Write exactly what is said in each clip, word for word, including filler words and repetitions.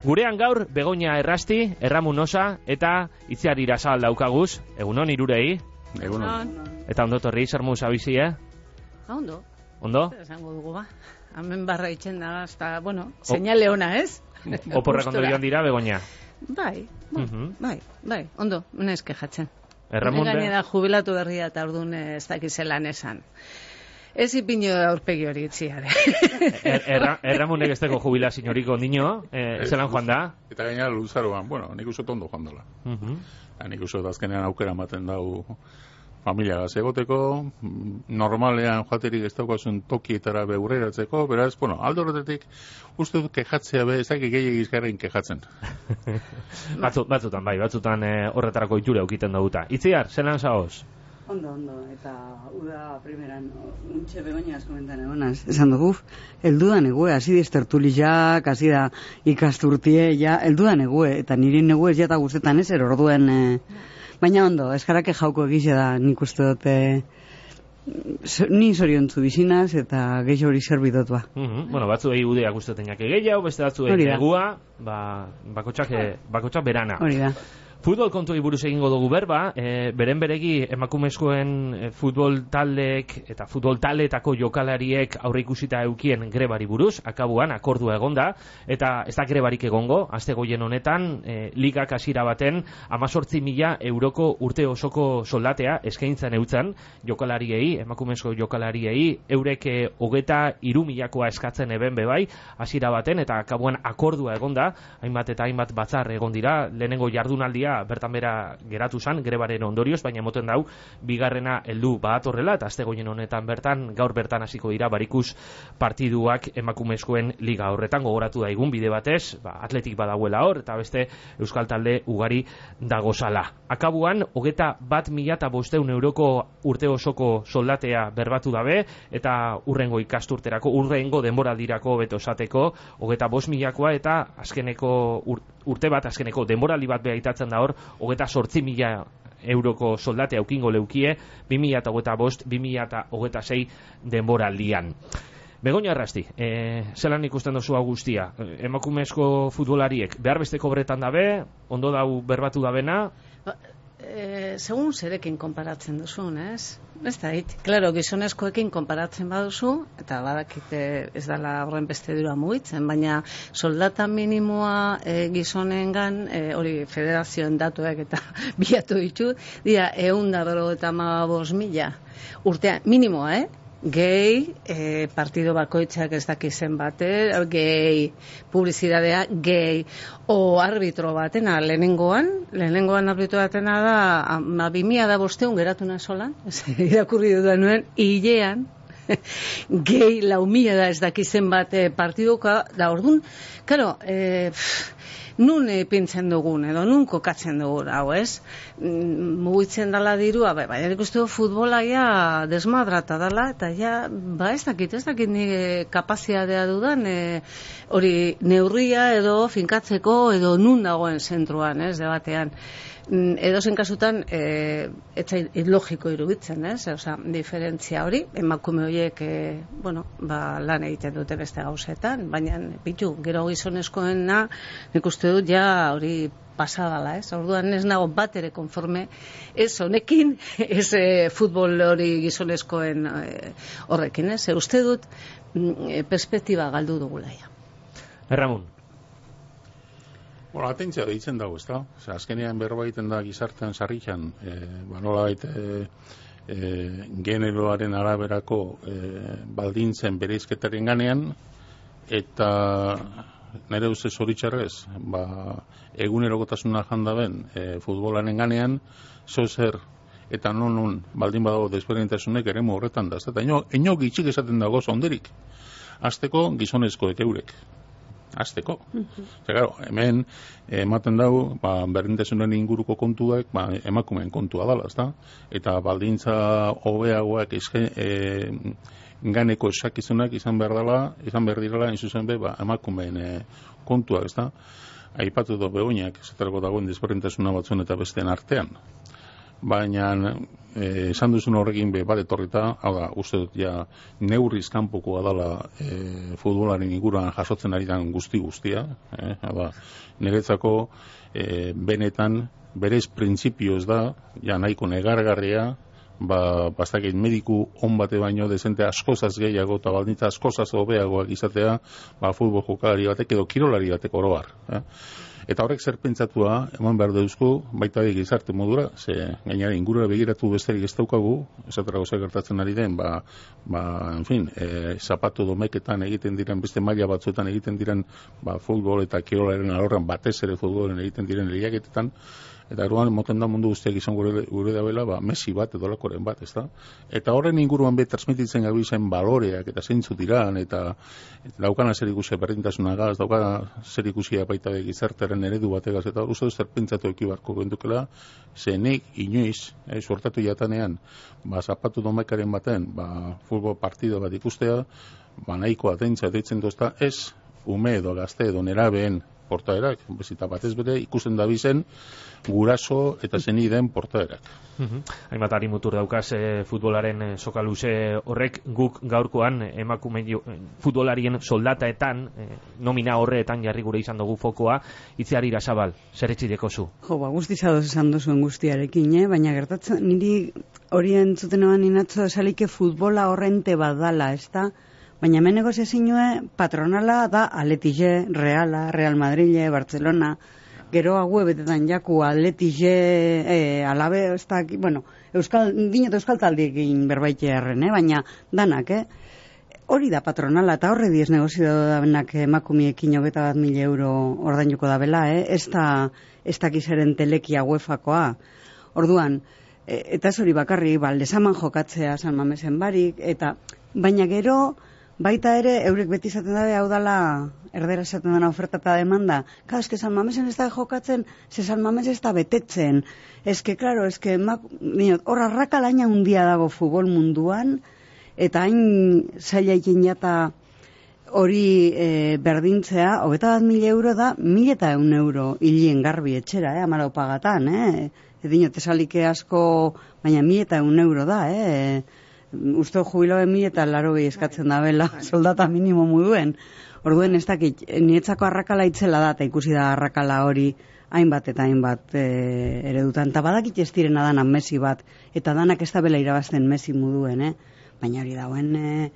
Gurean gaur Begoña Errasti, Erramun Osa eta Itziar Irasal daukaguz. Egunon irurei. Egunon. Eta ondo torri, Sarmuz abizi, eh? Ha, ondo. Ondo? Esango dugu ba. Hemen barra itxen da, hasta, bueno, señale ona, ez? Oporrek ondo joan dira, Begoña? Bai, bai, Mhm. bai, bai, ondo, unez kejatzen. Erramun be... Gainera jubilatu berria eta orduan ez dakizelan esan. Ez ipino aurpegi hori itziare. Er, erra, erramunek ez dago jubilaziorik ondino, eh, zelan joan da? Eta gainera luzaroan, bueno, nik uste ondo joan dela. Uh -huh. Nik uste azkenean aukera ematen dau familia egoteko, normalean joaterik ez daukazun tokietara beurreratzeko, beraz, bueno, aldo horretetik uste dut kejatzea be, ez dakik gehiagiz garen kejatzen. Batzu, batzutan, bai, batzutan eh, horretarako iture aukiten dauta. Itziar, zelan zaoz? Ondo, ondo, eta uda primeran, untxe Begoña askomentan egonaz, esan dugu, eldudan egue, hasi diz tertuliak, hasi da ikasturtie, ja, eldudan egue, eta niri negue ez jata guztetan ez, er orduen, e, baina ondo, eskarake jauko egize da, nik uste dute, ni zoriontzu bizinaz, eta gehi hori zerbidot ba. Uh -huh. Bueno, batzu egi udeak ustetenak gehiago, beste batzu egi negua, ba, bakotxak, bakotxak berana. Hori da. Futbol kontuei buruz egingo dugu berba, e, beren beregi emakumezkoen e, futbol taldeek eta futbol taldeetako jokalariek aurre ikusita eukien grebari buruz, akabuan akordua egonda, eta ez da grebarik egongo, aste goien honetan, e, ligak hasiera baten amazortzi mila euroko urte osoko soldatea eskaintzen eutzen jokalariei, emakumezko jokalariei, eurek e, hogeta hiru milakoa eskatzen eben bebai, hasiera baten, eta akabuan akordua egonda, hainbat eta hainbat batzar egon dira, lehenengo jardunaldia bertan bera geratu zan, grebaren ondorioz, baina moten dau, bigarrena heldu badatorrela, eta astegoien honetan bertan, gaur bertan hasiko dira barikus partiduak emakumezkoen liga horretan, gogoratu daigun bide batez, ba, atletik badauela hor, eta beste euskal talde ugari dagozala. Akabuan, hogeta bat mila eta bosteun euroko urte osoko soldatea berbatu dabe, eta urrengo ikasturterako, urrengo denboraldirako beto esateko, hogeta bost milakoa, eta azkeneko ur, urte bat, azkeneko denboraldi bat behaitatzen da hor, hogeta sortzi mila euroko soldate aukingo leukie, bi mila eta hogeta bost, bi mila eta hogeta sei denboraldian. Begoña Errasti, e, zelan ikusten dozu guztia? Emakumezko futbolariek behar besteko bretan dabe, ondo dau berbatu dabena? Ba, e, segun zerekin konparatzen duzun, ez? Ez da, hit. Claro, gizonezkoekin konparatzen baduzu, eta badakite ez dela horren beste dura mugitzen, baina soldata minimoa e, gizonengan, e, hori federazioen datuak eta biatu ditu, dira, egun da bero eta amabos mila. Urtean, minimoa, eh? Gehi, e, partido bakoitzak ez dakizen bate, gehi, publizidadea, gehi, o arbitro batena, lehenengoan, lehenengoan arbitro batena da, ma bimia da bosteun geratu nazolan, irakurri dudan nuen, hilean, gehi, lau mila da ez dakizen bate partidoka, da orduan, karo, e, nun e, pintzen dugun, edo nun kokatzen dugun, hau ez? Mugitzen dala dirua, bai, baina ikustu du futbola ja desmadrata dala, eta ja, ba ez dakit, ez dakit nire kapaziadea dudan, e, hori neurria edo finkatzeko, edo nun dagoen zentruan, ez, debatean. Edo zen kasutan, e, etzai logiko iruditzen, ez? Osa, diferentzia hori, emakume horiek, e, bueno, ba, lan egiten dute beste gauzetan, baina, bitu, gero gizonezkoena, nik uste dut, ja, hori pasadala, ez? Orduan ez nago bat ere konforme, ez honekin, ez e, futbol hori gizonezkoen e, horrekin, ez? E, uste dut, e, perspektiba galdu dugulaia. Erramun. Bueno, atentzia deitzen dago, ez da? Osa, azkenean berba egiten da gizartean sarrikan, e, ba, nola baita e, e, generoaren araberako e, baldintzen bereizketaren ganean, eta nire ustez zoritxarrez, ba, egunerokotasuna jandaben e, futbolaren ganean, zozer eta non non baldin badago desberdintasunek eremu horretan da, eta ino, ino gitxik esaten dago zonderik, azteko gizonezkoek eurek. Azteko. Uh-huh. Claro, hemen ematen dago, ba, berdintasunen inguruko kontuak, ba, emakumeen kontua dala, ezta? Eta baldintza hobeagoak eske e, ganeko esakizunak izan behar dela, izan behar direla, in zuzen be, ba, emakumeen e, kontua, ezta? Aipatu do Begoñak, esaterako dagoen desberdintasuna batzuen eta besteen artean. baina eh, esan duzun horrekin be bat etorrita, hau da, uste dut ja neurriz kanpokoa dela eh, futbolaren inguruan jasotzen ari den guzti guztia, eh, hau da, niretzako eh, benetan berez printzipioz da, ja nahiko negargarria, ba, bastakit mediku on bate baino dezente askozaz gehiago eta baldintza askozaz hobeagoak izatea, ba, futbol jokalari batek edo kirolari batek oroar. Eh? Eta horrek zer pentsatua eman behar deuzku, baita gizarte modura, ze gainera ingurura begiratu besterik ez daukagu, esatera gauza gertatzen ari den, ba, ba en fin, e, zapatu domeketan egiten diren, beste maila batzuetan egiten diren, ba, futbol eta kirolaren alorran batez ere futbolen egiten diren lehiaketetan, eta eruan moten da mundu guztiak izan gure, gure dabela, ba, Messi bat edo lakoren bat, ez da? Eta horren inguruan be transmititzen gabi zen baloreak eta zeintzu diran, eta, eta daukana zer ikusia berdintasunagaz, daukana zer ikusia baita gizartearen eredu bategaz, eta uste dut zer pentsatu ekibarko gendukela, zenik inoiz, eh, suertatu jatanean, ba, zapatu domekaren baten, ba, futbol partido bat ikustea, ba, nahiko atentza deitzen dozta, ez ume edo gazte edo nerabeen portaerak, bezita batez bere ikusten da bizen guraso eta zeni den portaerak. Uh-huh. Hainbat ari mutur daukaz e, futbolaren e, sokaluze horrek guk gaurkoan emakume futbolarien soldataetan e, nomina horreetan jarri gure izan dugu fokoa, Itziar Irasabal, zer etxideko zu? Jo, ba, guztizadoz esan duzuen guztiarekin, eh? Baina gertatzen, niri hori entzuten eban inatzo esalike futbola horrente badala, ez da? Baina hemen negoziazinue patronala da Atletixe, Reala, Real Madrile, Barcelona, gero haue betetan jaku Atletixe, e, Alabe, ez da, bueno, Euskal, dinot Euskal taldiekin berbaite erren, eh? Baina danak, eh? Hori da patronala, eta horre diez negozio dabenak emakumiekin hogeta bat mila euro ordainuko dabela, eh? Ez da, ez dakizeren telekia uefakoa. Orduan, e, eta ez hori bakarri, baldesaman jokatzea San Mamesen barik, eta baina gero, baita ere, eurek beti izaten dabe, hau dala, erdera esaten dena oferta eta demanda. Ka, eske San Mamesen ez da jokatzen, ze San Mames ez da betetzen. Eske, klaro, eske, hor arrakalaina handia dago futbol munduan, eta hain zaila ikin jata hori e, berdintzea, hogeta bat mila euro da, mila eta eun euro hilien garbi etxera, eh, amara opagatan, eh? Edino, tesalike asko, baina mila eta eun euro da, eh? Uste jubiloen mila eta laro gehi eskatzen da bela, soldata minimo muduen. Orduen ez dakit, nietzako arrakala itzela da, eta ikusi da arrakala hori hainbat eta hainbat e, eredutan. Eta badakit ez direna danan Messi bat, eta danak ez da bela irabazten Messi muduen, eh? Baina hori dauen e,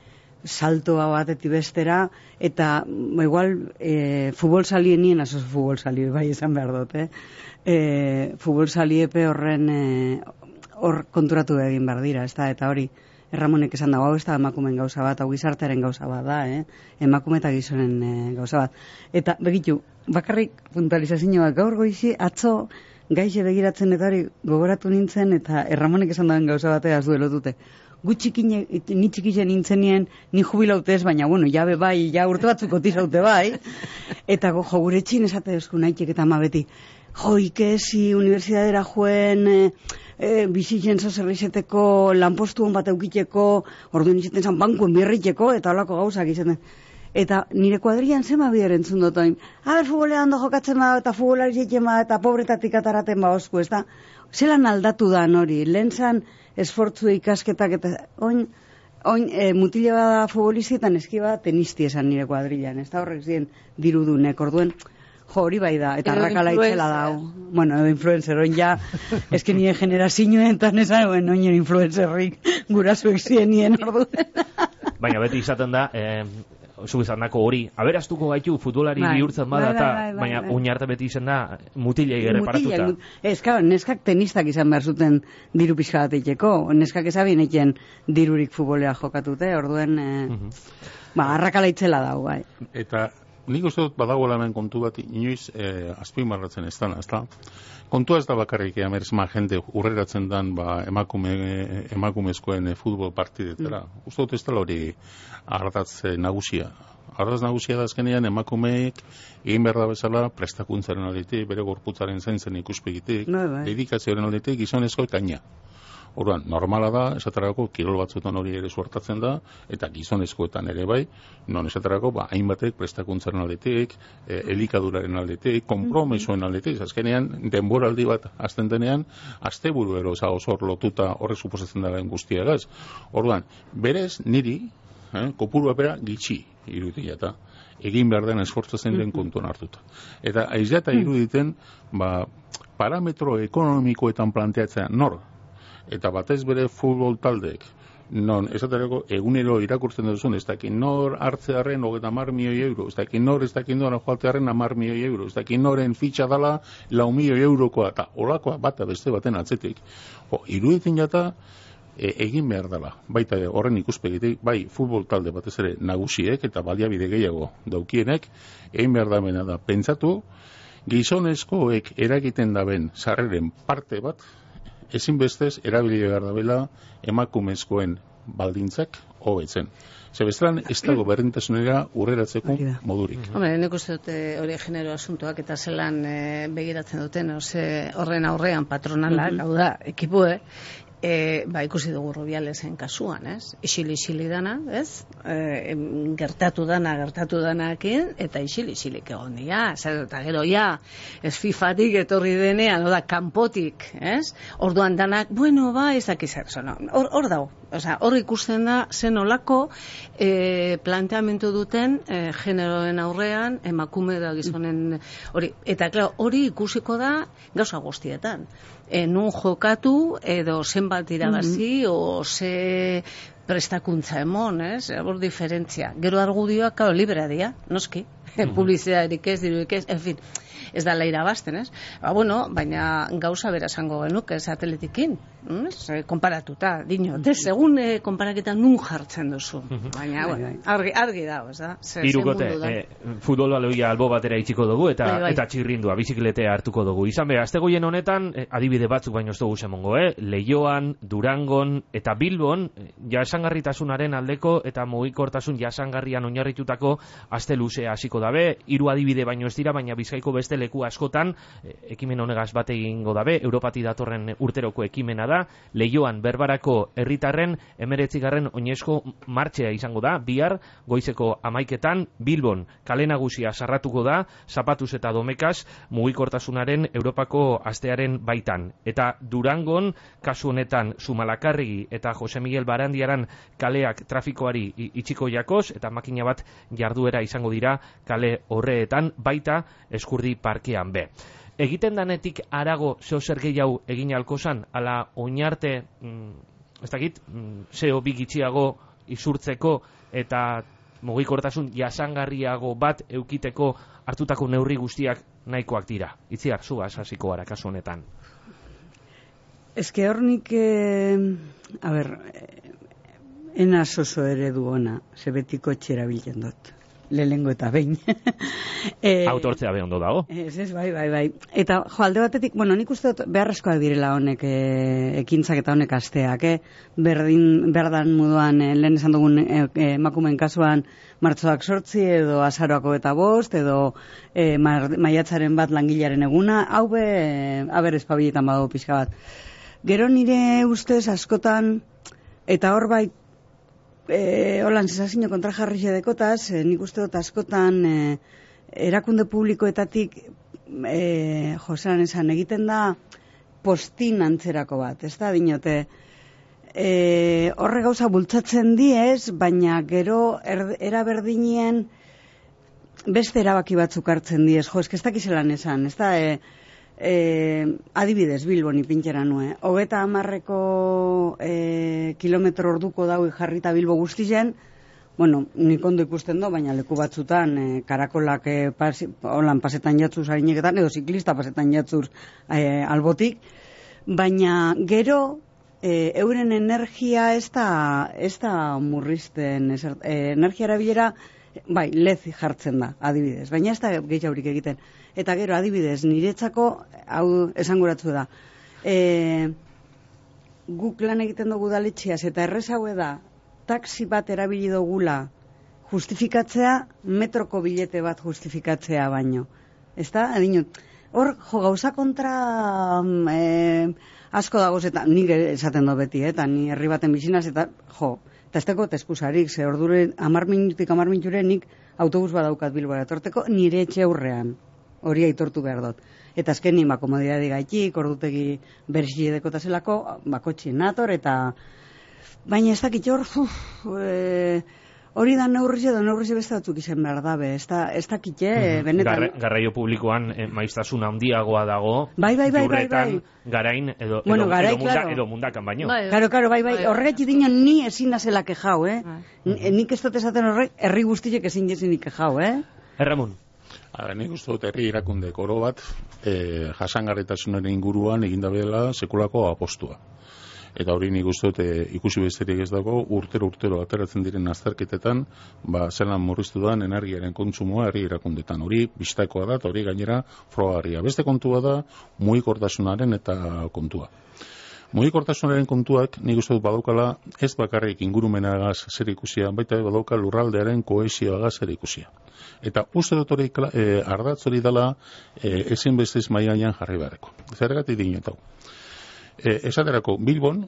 saltoa batetik bestera, eta igual e, futbol salien nien, asos futbol salie, bai esan behar dut, eh? E, futbol saliepe horren hor e, konturatu egin behar dira, ez da, eta hori, Ramonek esan dago, hau ez da emakumen gauza bat, hau gizartearen gauza bat da, eh? Emakume eta gizonen e, gauza bat. Eta, begitu, bakarrik puntualizazioak gaur goizi, atzo gaixe begiratzen eta hori gogoratu nintzen, eta Ramonek esan dagoen gauza batea az duelo dute. Gu txikine, ni txikisen nintzenien, ni jubilautez, baina, bueno, jabe bai, ja urte batzuk kotizaute bai, eta go, jo, gure txin esate duzku nahitek eta ama beti, jo, ikesi, universidadera joen, e, e, bizitzen zazerrizeteko, lanpostu hon bat eukiteko, orduan izaten zan bankuen birriteko, eta holako gauzak izaten. Eta nire kuadrian zema bider entzun dut oin. Aber, futbolean do jokatzen bada, eta futbolari jeiten bada, eta pobretatik ataraten ba osku, ez da? Zelan aldatu da hori, lehen zan esfortzu ikasketak, eta oin, oin e, mutile bada futbolizietan eski bada tenisti esan nire kuadrilan, ez da horrek ziren dirudunek, orduen, jo, hori bai da, eta arrakala itzela dau. Bueno, edo influencer, oin ja, eski nire generazioen, eta nesan, oin oin influencerrik gurazuek ziren nien orduen. Baina beti izaten da, eh, zu izandako hori, aberastuko gaitu futbolari bai, bihurtzen bada, bai, bai, bai, bai, baina bai. Oinarte beti izan da mutilei erreparatuta. Ez, claro, neskak tenistak izan behar zuten diru pixka bat eiteko, neskak ezabien eiken dirurik futbolea jokatute, orduen, eh, uh-huh. ba, arrakala itzela dau, bai. Eta nik uste dut badagoela hemen kontu bat inoiz eh, azpimarratzen ez dana, ez da? Kontua ez da bakarrik emerzma jende urreratzen dan ba, emakume, emakumezkoen e, futbol partidetara. Mm. Uste dut ez dela hori ardatz e, nagusia. Ardatz nagusia da azkenean emakumeek egin behar da bezala prestakuntzaren aldetik, bere gorputzaren zaintzen ikuspegitik, no, dedikazioaren aldetik gizonezko kaina. Orduan, normala da, esaterako, kirol batzuetan hori ere suertatzen da, eta gizonezkoetan ere bai, non esaterako, ba, hainbatek prestakuntzaren aldetik, e, elikaduraren aldetik, konpromesoen aldetik, azkenean, denboraldi bat azten denean, asteburu ero, oso lotuta horrek suposatzen daren guztiagaz. Orduan, berez, niri, eh, kopurua bera gitxi irudia eta egin behar den esfortzatzen den kontuan hartuta. Eta aizeta iruditen, ba, parametro ekonomikoetan planteatzea nor, eta batez bere futbol taldeek, non, esaterako, egunero irakurtzen duzun, ez dakin nor hartzearen hogeita hamar milioi euro, ez dakin nor, ez dakin nor joatearen hamar milioi euro, ez dakin noren fitxa dala lau milioi eurokoa, eta olakoa bata beste baten atzetik. Jo, iruditzen jata, E, egin behar dela, baita horren ikuspegitik, bai futbol talde batez ere nagusiek eta baliabide gehiago daukienek, egin behar da bena da, pentsatu, gizonezkoek eragiten daben sarreren parte bat, ezinbestez erabili behar da bela emakumezkoen baldintzak hobetzen. Zebestran, ez dago berdintasunera urreratzeko modurik. Hombre, nik uste dute hori genero asuntoak eta zelan e, begiratzen duten, ose, horren aurrean patronalak, hau da, ekipue, E, ba, ikusi dugu Rubialesen kasuan, ez? Isili-isili dana, ez? E, gertatu dana, gertatu danakin, eta isili-isilik egon dira. Zer, eta gero, ja, ez fifatik etorri denean, oda, kanpotik, ez? Orduan danak, bueno, ba, ez dakiz zer, no? Hor, hor dago. Osea, hor ikusten da zen olako e, planteamentu duten e, generoen aurrean, emakume da gizonen hori. Eta, klaro, hori ikusiko da gauza guztietan. E, nun jokatu edo zenbat irabazi mm-hmm. o ze prestakuntza emon, ez? Hor diferentzia. Gero argudioak, claro, librea dira, noski. Mm-hmm. Publizitaterik ez, dirurik ez, en fin, ez da la irabazten, ez? Ba, bueno, baina gauza bera esango genuke satelitikin, ez? Konparatuta, dino, de segun eh, konparaketa nun jartzen duzu. Baina, bueno, argi, argi dago, ez da? Hirukote, eh, futbol baloia albo batera itxiko dugu eta bai, bai. eta txirrindua, bizikletea hartuko dugu. Izan be, astegoien honetan, eh, adibide batzuk baino ez dugu semongo, eh? Leioan, Durangon eta Bilbon, jasangarritasunaren aldeko eta mugikortasun jasangarrian oinarritutako aste luzea hasiko dabe, hiru adibide baino ez dira, baina Bizkaiko beste leku askotan ekimen honegaz bat egingo dabe, Europati datorren urteroko ekimena da, Leioan berbarako herritarren emeretzigarren oinezko martxea izango da, bihar goizeko amaiketan, Bilbon kale nagusia sarratuko da, zapatuz eta domekaz mugikortasunaren Europako astearen baitan. Eta Durangon, kasu honetan Zumalakarregi eta Jose Miguel Barandiaran kaleak trafikoari itxiko jakoz, eta makina bat jarduera izango dira kale horreetan, baita Eskurdi parkean be. Egiten danetik arago zeo zer gehiago egin alkozan, ala oinarte, mm, ez dakit, mm, zeo bigitxiago izurtzeko eta mugikortasun jasangarriago bat eukiteko hartutako neurri guztiak nahikoak dira. Itziar, zugaz hasiko gara kasu honetan. Eske hornik, eh, a ber, ena oso eredu ona, zebetiko etxera bilen dut. Lehengo eta behin. e, Autortzea be ondo dago. Ez, ez, bai, bai, bai. Eta, jo, alde batetik, bueno, nik uste dut beharrezkoak direla honek e, ekintzak eta honek asteak, eh? Berdin, berdan moduan, e, lehen esan dugun e, e, emakumeen kasuan martxoak sortzi edo azaroako eta bost, edo e, maiatzaren bat langilaren eguna, hau be, e, aber espabilietan badago pixka bat. Gero nire ustez askotan, eta hor bai, E, holan, zesazino kontra jarri xedekotaz, e, nik uste dut askotan e, erakunde publikoetatik e, josean esan egiten da postin antzerako bat, ez da, dinote e, horre gauza bultzatzen diez, baina gero er, eraberdinien beste erabaki batzuk hartzen diez, jo, esk ez dakizelan esan, ez da, e, E, adibidez Bilbon ipintxera nue hogeta hamarreko e, kilometro orduko daui jarrita Bilbo guztien, bueno, nik ondo ikusten do, baina leku batzutan e, karakolak e, pasi, holan pasetan jatzuz harineketan, edo ziklista pasetan jatzuz e, albotik, baina gero e, euren energia ez da, ez da murrizten e, energia erabilera bai, lez jartzen da, adibidez, baina ez da gehiagorik egiten. Eta gero, adibidez, niretzako, hau esanguratzu da, e, guk lan egiten dugu daletxiaz, eta errezaue da, taxi bat erabili dugula justifikatzea, metroko bilete bat justifikatzea baino. Ez da, adinut, hor, jo, gauza kontra e, asko dagoz, eta nik esaten do beti, eta ni herri baten bizinaz, eta jo, eta ez teko teskusarik, ze ordure, amar minutik, amar minuture, nik autobus badaukat Bilbora etorteko, nire etxe aurrean, hori aitortu behar dut. Eta azken nien, ba, komodidadi gaitik, ordutegi berxi dekotazelako, bakotxien nator, eta baina ez dakit hor, e, hori da neurrize, da neurrize beste batzuk izan behar dabe, ez da, ez dakit, eh, benetan. Garra, garraio publikoan eh, maiztasun handiagoa dago, bai, bai, bai, bai, bai. garain, edo, bueno, edo, garai, edo, munda, claro. edo mundakan baino. Bai, Karo, karo, bai, bai, horregatik dinon ni ezin nazela kejau, eh? Bai. Nik ez dut esaten horrek, herri guztiek ezin jezinik kejau, eh? Erramun. Ara, nik uste dut herri irakunde oro bat eh, jasangarritasunaren inguruan egindabela sekulako apostua. Eta hori nik uste dut e, ikusi besterik ez dago, urtero urtero ateratzen diren azterketetan, ba, zelan murriztu da energiaren kontsumoa herri irakundetan. Hori bistakoa da, eta hori gainera frogarria. Beste kontua da, mugikortasunaren eta kontua. Mugikortasunaren kontuak nik uste dut badaukala ez bakarrik ingurumenagaz zer ikusia, baita badauka lurraldearen kohesioagaz zer ikusia. Eta uste dut hori e, ardatz hori dela e, ezin bestez mailan jarri beharreko. Zergatik dinotau. E, esaterako Bilbon,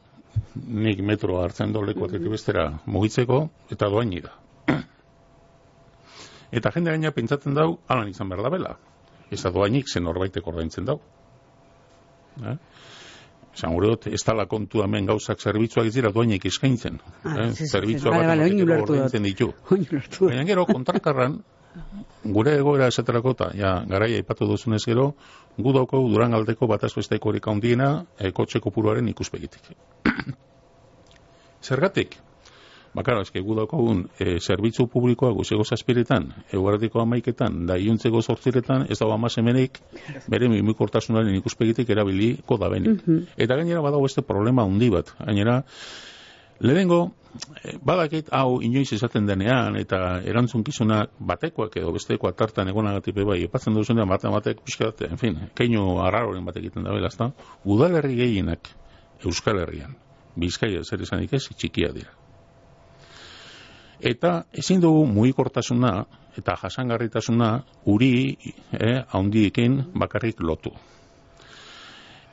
nik metroa hartzen doleko atetik bestera mugitzeko, eta doaini da. Eta jende gaina pentsatzen dau, alan izan behar da bela. Ez da doainik zen horbaitek ordaintzen dau. Eh? Esan gure dut, ez tala kontu hemen gauzak zerbitzuak ez dira doainik eskaintzen. Ah, eh? sí, sí, Zerbitzua sí, bat vale, vale, ordaintzen ditu. Baina gero kontrakarran, gure egoera esaterako eta ja, garaia ipatu duzunez gero, gu dauko Durangaldeko bataz besteko horik handiena e, kotxe kopuruaren ikuspegitik. Zergatik? Bakara, eske gu daukogun e, zerbitzu publikoa guzego zazpiretan, eguardiko amaiketan, da iuntzeko zortziretan, ez dago amasemenik, bere mimikortasunaren ikuspegitik erabiliko da benik. Mm-hmm. Eta gainera badago beste problema handi bat. Gainera, lehenengo, badakit hau inoiz esaten denean eta erantzunkizunak batekoak edo bestekoak tartan egonagatik bai, epatzen duzunean batean batek pixkat, en fin, keinu arraroren batek egiten da bela, ezta? Udalerri gehienak Euskal Herrian, Bizkaia zer esanik ez, txikia dira. Eta ezin dugu mugikortasuna eta jasangarritasuna uri eh, handiekin bakarrik lotu.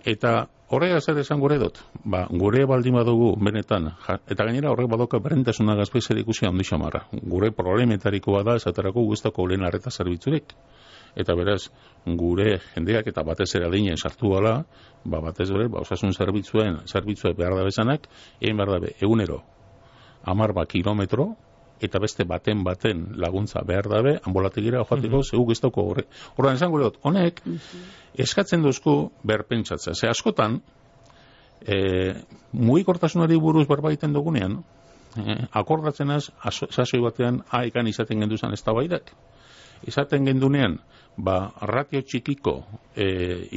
Eta horrega zer esan gure dut, ba, gure baldin badugu benetan, ja, eta gainera horrek badoka berrentasuna gazpezer ikusi handi xamarra. Gure problemetariko bada esaterako guztako lehen arreta zerbitzurik. Eta beraz, gure jendeak eta batez ere adinen sartu gala, ba, batez ere, ba, osasun zerbitzuen, zerbitzue behar da bezanak, egin behar dabe, egunero, amar ba kilometro, eta beste baten baten laguntza behar dabe, ambulategira joateko, mm-hmm. zeu giztoko horre. Horren esan gure dut, honek, mm-hmm. eskatzen duzku berpentsatzea. Ze askotan, e, mugikortasunari buruz berbaiten dugunean, e, akordatzen az, sasoi batean, haikan izaten genduzan ez da baidak. Izaten gendunean, ba, ratio txikiko e,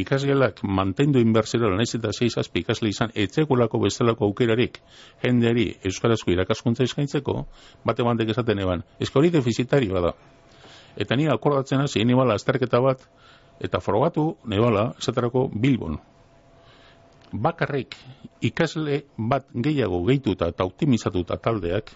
ikasgelak mantendu inbertsero lanez eta sei zazpi ikasle izan etzekulako bestelako aukerarik jendeari euskarazko irakaskuntza eskaintzeko, bate bandek esaten eban. Ezka hori defizitarioa da. Eta ni akordatzen hasi, nibala azterketa bat, eta frogatu, nibala, esaterako Bilbon. Bakarrik ikasle bat gehiago gehituta eta optimizatuta taldeak,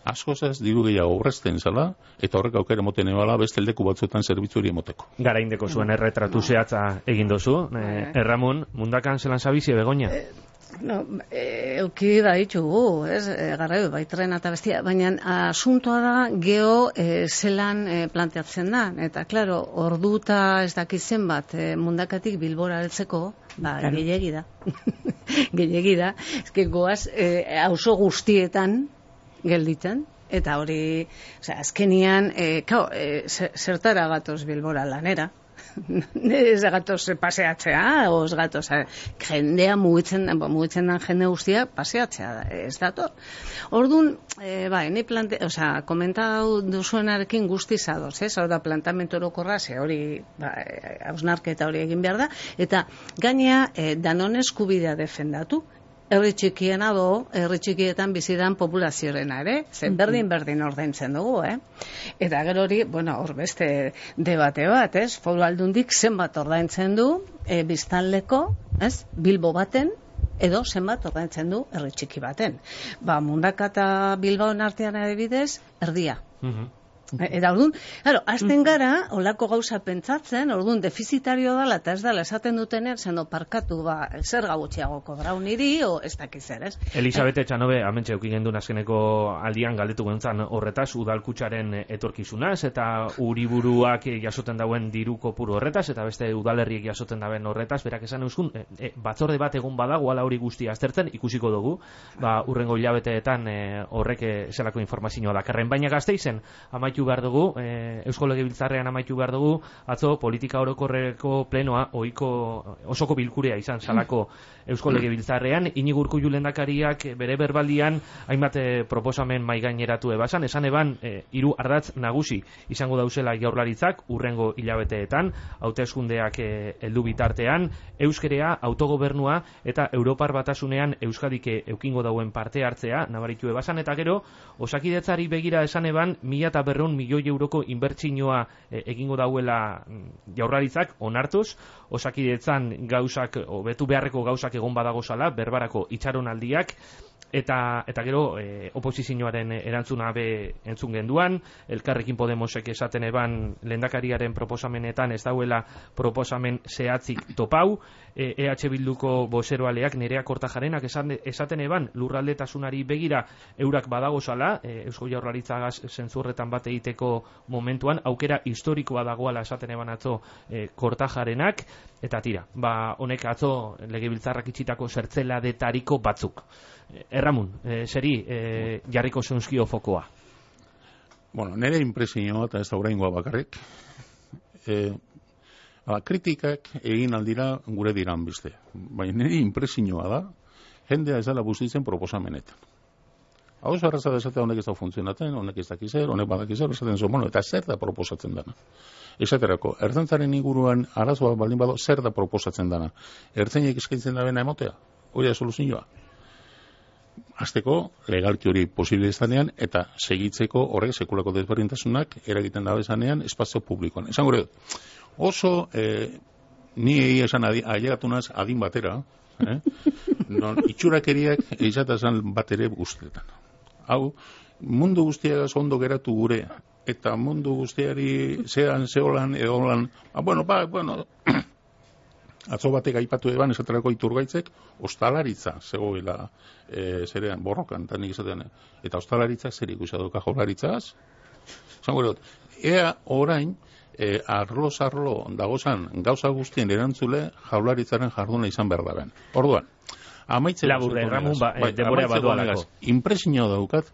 askozaz diru gehiago aurrezten zela, eta horrek aukera moten ebala beste leku batzuetan zerbitzuri emoteko. Garaindeko zuen erretratu zehatza egin dozu. Eh, Erramun, mundakan zelan zabizie Begoña? Eh, no, eh, euki da ditugu, ez? Eh, garraio, baitren eta bestia, baina asuntoa da geho eh, zelan eh, planteatzen da. Eta, klaro, orduta ez dakitzen bat eh, mundakatik Bilbora heltzeko, ba, claro. Gehiegi da. Gehiegi da. Ez que goaz, eh, auzo guztietan, gelditzen, eta hori, osea, azkenian, e, kao, e, zertara gatoz Bilbora lanera, ez gatoz paseatzea, o ez gatoz, jendea mugitzen, mugitzen den jende guztia paseatzea, ez dator. Orduan, e, bai, ni plante, osea, komentau duzuenarekin guztiz adoz, ez, hau da plantamentu orokorra, ze hori, ba, hausnarketa hori egin behar da, eta gainea, e, danon eskubidea defendatu, herri txikiena do, herri txikietan bizidan populaziorena ere, zen berdin berdin ordaintzen dugu, eh? Eta gero hori, bueno, hor beste debate bat, ez? Foru Aldundik zenbat ordaintzen du e, biztanleko, ez? Bilbo baten, edo zenbat ordaintzen du herri txiki baten. Ba, Mundaka eta Bilbaon artean adibidez, erdia. Mm-hmm. Eta orduan, claro, azten gara, olako gauza pentsatzen, orduan defizitario dela, eta ez dela esaten dutenean, zeno parkatu, ba, zer gabutxiago kobrau niri, o ez dakiz zer, ez? Elisabete Txanobe, amentxe eukin gendun azkeneko aldian galdetu gentzan horretaz, udalkutxaren etorkizunaz, eta uriburuak jasoten dauen diru kopuru horretaz, eta beste udalerriek jasoten dauen horretaz, berak esan euskun, e, e, batzorde bat egon badago, ala hori guztia aztertzen, ikusiko dugu, ba, urrengo hilabeteetan e, horrek e, zelako informazioa dakarren, baina Gasteizen, amaitu behar dugu, e, Eusko Legebiltzarrean amaitu behar dugu, atzo politika orokorreko plenoa ohiko osoko bilkurea izan salako Eusko Legebiltzarrean, Iñigo Urkullu lehendakariak bere berbaldian hainbat e, proposamen mai gaineratu ebasan, esan eban e, hiru ardatz nagusi izango dauzela jaurlaritzak urrengo hilabeteetan, hauteskundeak e, heldu bitartean, euskerea, autogobernua eta Europar Batasunean Euskadik eukingo dauen parte hartzea nabaritu ebasan, eta gero osakidetzari begira esan eban mila eta berreun milioi euroko inbertsioa e, egingo dauela jaurlaritzak onartuz, osakidetzan gauzak, hobetu beharreko gauzak egon badago zala, berbarako itxaronaldiak, eta eta gero e, oposizioaren erantzuna be entzun genduan, Elkarrekin Podemosek esaten eban lehendakariaren proposamenetan ez dauela proposamen zehatzik topau, e, EH Bilduko bozeroaleak Nerea Kortajarenak esan, esaten eban lurraldetasunari begira eurak badago zala, e, Eusko Jaurlaritzagaz zentzurretan bat egiteko momentuan, aukera historikoa dagoala esaten eban atzo e, Kortajarenak, eta tira, ba honek atzo legebiltzarrak itxitako zertzeladetariko batzuk. Erramun, e, seri e, jarriko zeunzkio fokoa. Bueno, nire impresioa eta ez da oraingoa bakarrik. E, ala, kritikak egin aldira gure diran beste. Baina nire impresioa da, jendea ez dela bustitzen proposamenetan. Hau ez arraza desatea honek ez da funtzionatzen, honek ez dakizer, honek badakizer, esaten zo, bueno, eta zer da proposatzen dana. Esaterako, ertzaintzaren inguruan arazoa baldin bado, zer da proposatzen dana. Ertzainek eskaintzen da bena emotea, hori da soluzioa. Azteko, legalki hori posible izanean, eta segitzeko horrek sekulako desberdintasunak eragiten dabe zanean espazio publikoan. Esan gure, oso eh, ni egia esan adi, ailegatunaz adin batera, eh? Non, itxurakeriak eizatazan bat ere guztietan. Hau, mundu guztiagaz ondo geratu gure, eta mundu guztiari zean, zeholan, edolan, ah, bueno, ba, bueno, atzo batek aipatu eban esaterako Iturgaitzek ostalaritza zegoela e, zerean borrokan, eta nik esatean, eta ostalaritzak zer ikusi adoka jaurlaritzaz. Zango dut, ea orain, e, arloz arlo dagozan gauza guztien erantzule jaurlaritzaren jarduna izan behar daren. Orduan, amaitzen Laburre, Ramon, ba, e, denbora badualako. Impresioa daukat,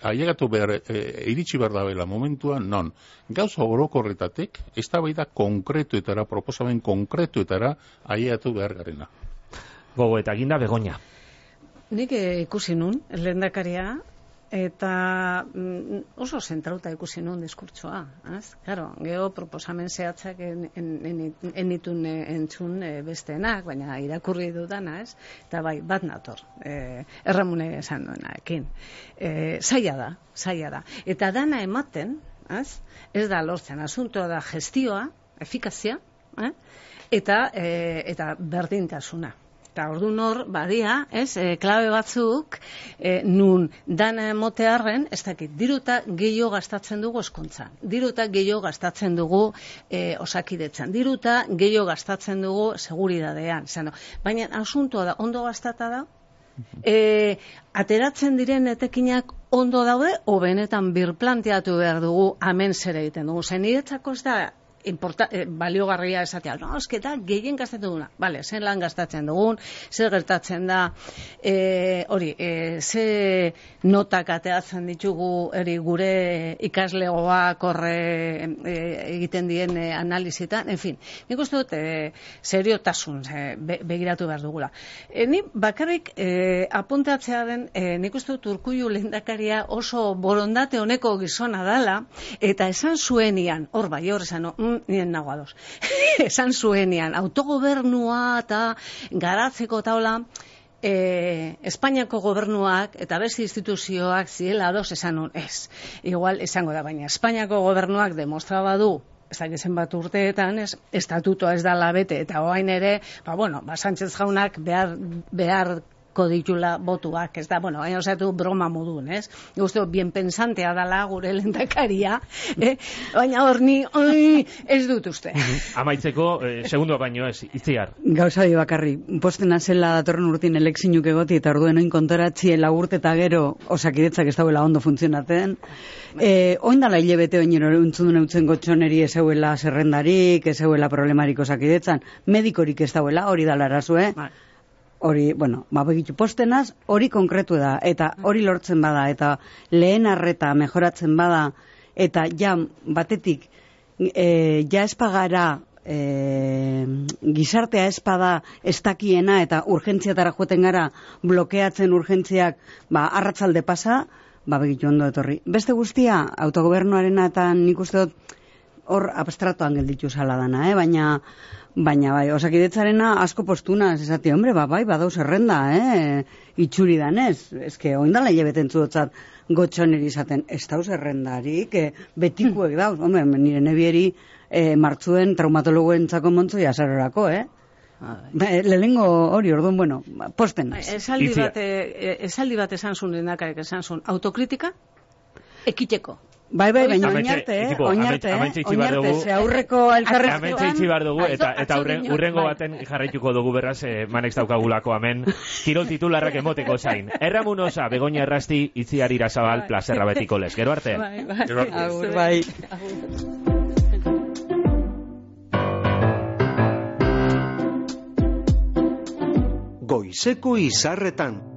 ailegatu behar, e, iritsi behar dabela momentuan, non, gauza orokorretatek, eztabaida konkretuetara, proposamen konkretuetara ailegatu behar garena. Gogo eta ginda Begoña. Nik eh, ikusi nun, lehendakaria, eta mm, oso zentrauta ikusi nun diskurtsoa. Az? Claro, geho proposamen zehatzak en, en, en, enitun entzun e, besteenak, baina irakurri dudana, ez? Eta bai, bat nator, e, erramune esan duenaekin. E, zaila da, zaila da. Eta dana ematen, az? Ez da lortzen, asuntoa da gestioa, efikazia, eh? eta, e, eta berdintasuna. Eta ordu nor, badia, ez, e, klabe batzuk, e, nun dana emotearren, ez dakit, diruta gehiago gastatzen dugu eskuntza, diruta gehiago gastatzen dugu e, osakidetzan, diruta gehiago gastatzen dugu seguridadean, zano. Baina asuntoa da, ondo gastata da, e, ateratzen diren etekinak ondo daude, o benetan birplanteatu behar dugu, amen zer egiten dugu, zen niretzako ez da, Importa, eh, baliogarria esatea, no, esketa gehien gastatzen duguna, vale, zen lan gastatzen dugun, zer gertatzen da, e, hori, e, ze notak ateatzen ditugu eri gure ikaslegoak horre e, egiten dien e, analizitan, en fin, nik uste dut e, seriotasun e, be, begiratu behar dugula. E, ni bakarrik e, apuntatzea den, e, nik uste dut Urkullu lehendakaria oso borondate honeko gizona dala, eta esan zuenian, hor bai, hor esan, mm, nien nago ados. Esan zuenian, autogobernua eta garatzeko taula, e, Espainiako gobernuak eta beste instituzioak zirela ados esan nun, ez. Igual esango da, baina Espainiako gobernuak demostraba du, ez da zenbat urteetan, ez, estatutoa ez da labete, eta oain ere, ba bueno, ba Sánchez jaunak behar, behar ditula botuak, ez da, bueno, hain osatu broma modun, ez? Uste, bien pensantea dala gure lehendakaria, eh? Baina hor ni, oi, ez dut uste. Amaitzeko, eh, segundoa baino ez, Itziar. Gauza bi bakarri, postena zela datorren urtin elekzinuk egoti eta orduen oin kontoratzi lagurte eta gero osakidetzak ez dauela ondo funtzionaten. Eh, oin dala hilebete oinero untzudun eutzen gotxoneri ez euela zerrendarik, ez euela problemarik osakidetzan, medikorik ez dauela, hori dala arazue. Hori, bueno, babegitu postenaz, hori konkretu da, eta hori lortzen bada, eta lehen arreta mejoratzen bada, eta ja, batetik, e, ja espagara, e, gizartea espada estakiena, eta urgentziatara joeten gara, blokeatzen urgentziak, ba, arratzalde pasa, babegitu ondo etorri. Beste guztia, autogobernuarena, eta nik uste dut, hor abstratuan gelditu zala dana, eh? baina, baina bai, osakidetzarena asko postuna, esati, hombre, ba, bai, badau zerrenda, eh? itxuri danez, eske, oindala hilebeten zudotzat gotxoneri izaten, ez dau zerrendarik, eh, betikuek dauz, hombre, nire nebieri eh, martzuen traumatologoen txako montzoi azarorako, eh? Lehengo hori, orduan, bueno, posten naz. Esaldi bat, esaldi bat esan zuen lehendakariak esan zuen, autokritika ekiteko. Bai, bai, baina oinarte, eh? Oinarte, eh? Oinarte, ze aurreko elkarrezkoan. Amentxe itxi behar dugu, eta, eta urren, urrengo baten jarraituko dugu beraz, eh, manex daukagulako hemen, kirol titularrak emoteko zain. Erramun osa, Begoña Errasti, Itziar Irasabal, plazerra betiko les. Gero arte? Bai, bai. Gero arte. Agur, bai. Goizeko izarretan.